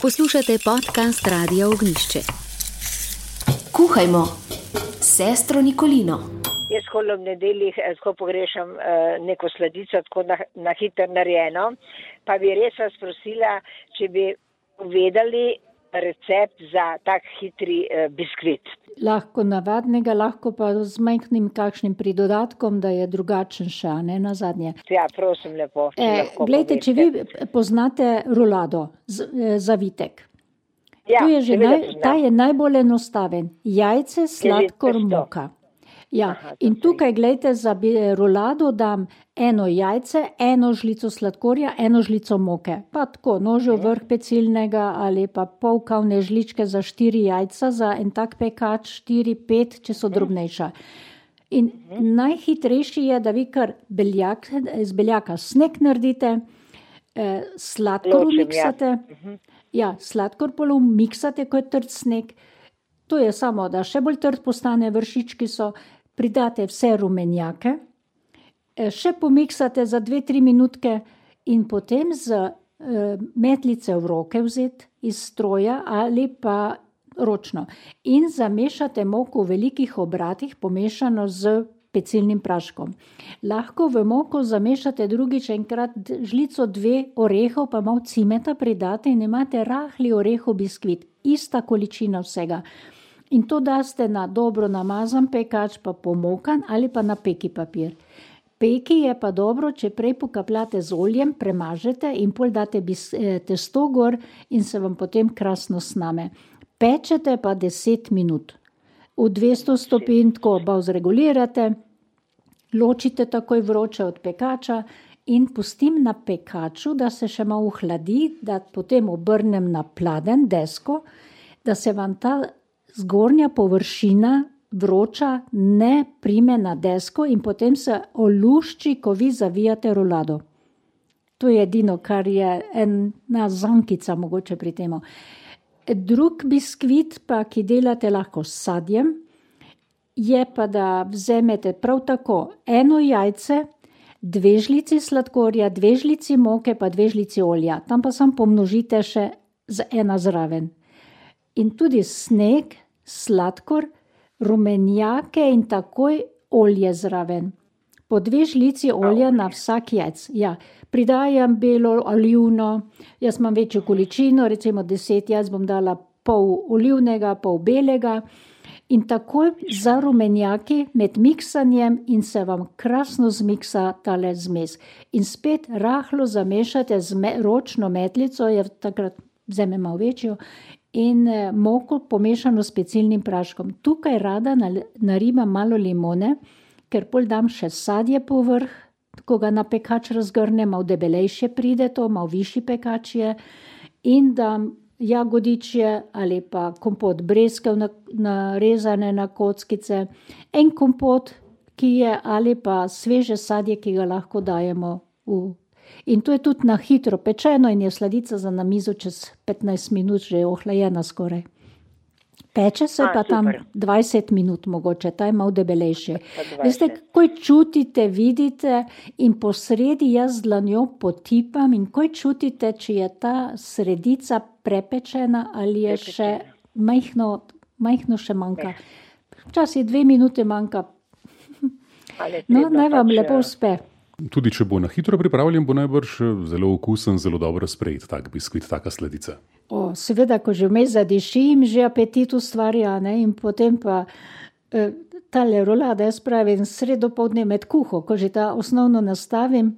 Poslušate podcast Radia Ognjišče. Kuhajmo, sestro Nikolino. Jaz holo v nedeljih tako pogrešam neko sladico, tako na hitro narejeno, pa bi res vas prosila, če bi povedali recept za tak hitri biskvit. Lahko navadnega, lahko pa z majhnim kakšnim pridodatkom, da je drugačen še, a ne nazadnje. Ja, prosim lepo. Glejte, če vi poznate rulado, zavitek. Ja, Ta je najbolj enostaven. Jajce, sladkor, moka. Ja, in tukaj, glejte, za rulado dam eno jajce, eno žlico sladkorja, eno žlico moke. Pa tako, nožev vrh pecilnega ali pa pol kavne žličke za 4 jajca, za en tak pekač 4-5, če so drobnejša. In najhitrejši je, da vi kar iz beljaka sneg naredite, sladkor miksate. Ja, sladkor polom miksate, ko je trd sneg. To je samo, da še bolj trd postane, vršički so, pridate vse rumenjake, še pomiksate za 2-3 minutke in potem z metlice v roke vzeti iz stroja ali pa ročno. In zamešate moko v velikih obratih, pomešano z pecilnim praškom. Lahko v moko zamešate drugič enkrat žlico 2 orehov, pa malo cimeta pridate in imate rahli orehov biskvit. Ista količina vsega. In to daste na dobro namazan pekač, pa pomokan ali pa na peki papir. Peki je pa dobro, če prej pokapljate z oljem, premažete in pol date testo gor in se vam potem krasno sname. Pečete pa 10 minut. V 200 stopinj tako zregulirate, ločite takoj vroče od pekača in pustim na pekaču, da se še malo ohladi, da potem obrnem na pladen desko, da se vam ta zgornja površina vroča ne prime na desko in potem se olušči, ko vi zavijate rulado. To je edino, kar je ena zankica mogoče pri temu. Drug biskvit pa, ki delate lahko s sadjem, je pa, da vzemete prav tako eno jajce, 2 žlici sladkorja, 2 žlici moke, pa 2 žlici olja. Tam pa samo pomnožite še z ena zraven. In tudi sneg, sladkor, rumenjake in takoj olje zraven. Po 2 žlici olja na vsak jajc. Ja, pridajam belo, olivno, jaz imam večjo količino, recimo 10 jajc bom dala pol olivnega, pol belega in takoj za rumenjaki med miksanjem in se vam krasno zmiksa tale zmes. In spet rahlo zamešate z ročno metlico, je takrat vzeme malo večjo, in moko pomešano s pecilnim praškom. Tukaj rada naribam malo limone, ker pol dam še sadje povrh, ko ga na pekač razgrnem, malo debelejše pride to, malo višji pekač je, in dam jagodičje ali pa kompot breskev narezane na kockice, en kompot, ki je, ali pa sveže sadje, ki ga lahko dajemo v. In to je tudi na hitro pečeno in je sladica za na mizo čez 15 minut že ohlajena skoraj. Peče se pa tam 20 minut mogoče, ta je malo debelejši. Veste, ko čutite, vidite in po sredi jaz z dlanjo potipam in ko čutite, če je ta sredica prepečena ali je še majhno še manjka. Včasih 2 minute manjka. No, naj vam lepo uspe. Tudi če bo na hitro pripravljen, bo najbrž zelo okusen, zelo dobro sprejet tak biskvit, taka sladica. Seveda, ko že vmes zadišim, že apetit ustvarja, ne? In potem pa tale rulada, jaz pravim, sredo poldne med kuho, ko že ta osnovno nastavim,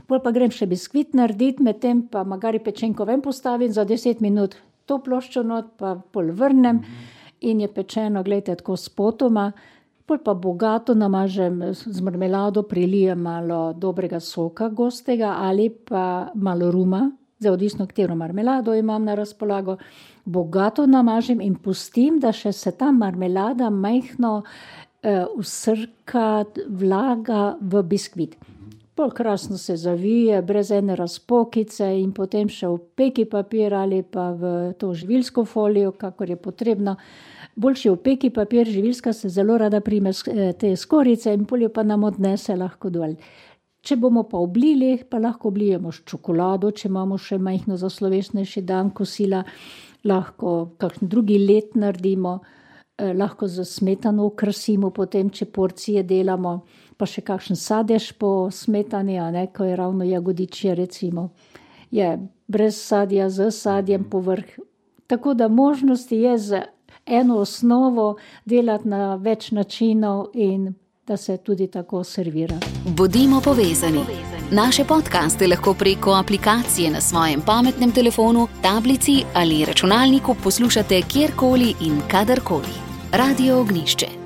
pol pa grem še biskvit narediti, medtem pa magari pečenko ven postavim za 10 minut, to ploščo not pa pol vrnem in je pečeno, gledajte, tako spotoma. Pol pa bogato namažem z marmelado, prilijem malo dobrega soka gostega ali pa malo ruma, zdaj odvisno, katero marmelado imam na razpolago. Bogato namažem in pustim, da še se ta marmelada majhno usrka, vlaga v biskvit. Pol krasno se zavije, brez ene razpokice in potem še v peki papir ali pa v to živilsko folijo, kakor je potrebno. Boljši v peki papir, živilska se zelo rada prime te skorice in poljo pa nam odnese lahko dol. Če bomo pa oblili, pa lahko oblijemo s čokolado, če imamo še majhno za slovesnejši dan kosila, lahko kakšen drugi led naredimo, lahko za smetano okrasimo potem, če porcije delamo, pa še kakšen sadež po smetani, ko je ravno jagodičje recimo. Je brez sadja, z sadjem povrh. Tako da možnosti je z eno osnovo delati na več načinov in da se tudi tako servira. Bodimo povezani. Naše podcaste lahko preko aplikacije na svojem pametnem telefonu, tablici ali računalniku poslušate kjerkoli in kadarkoli. Radio Ognjišče.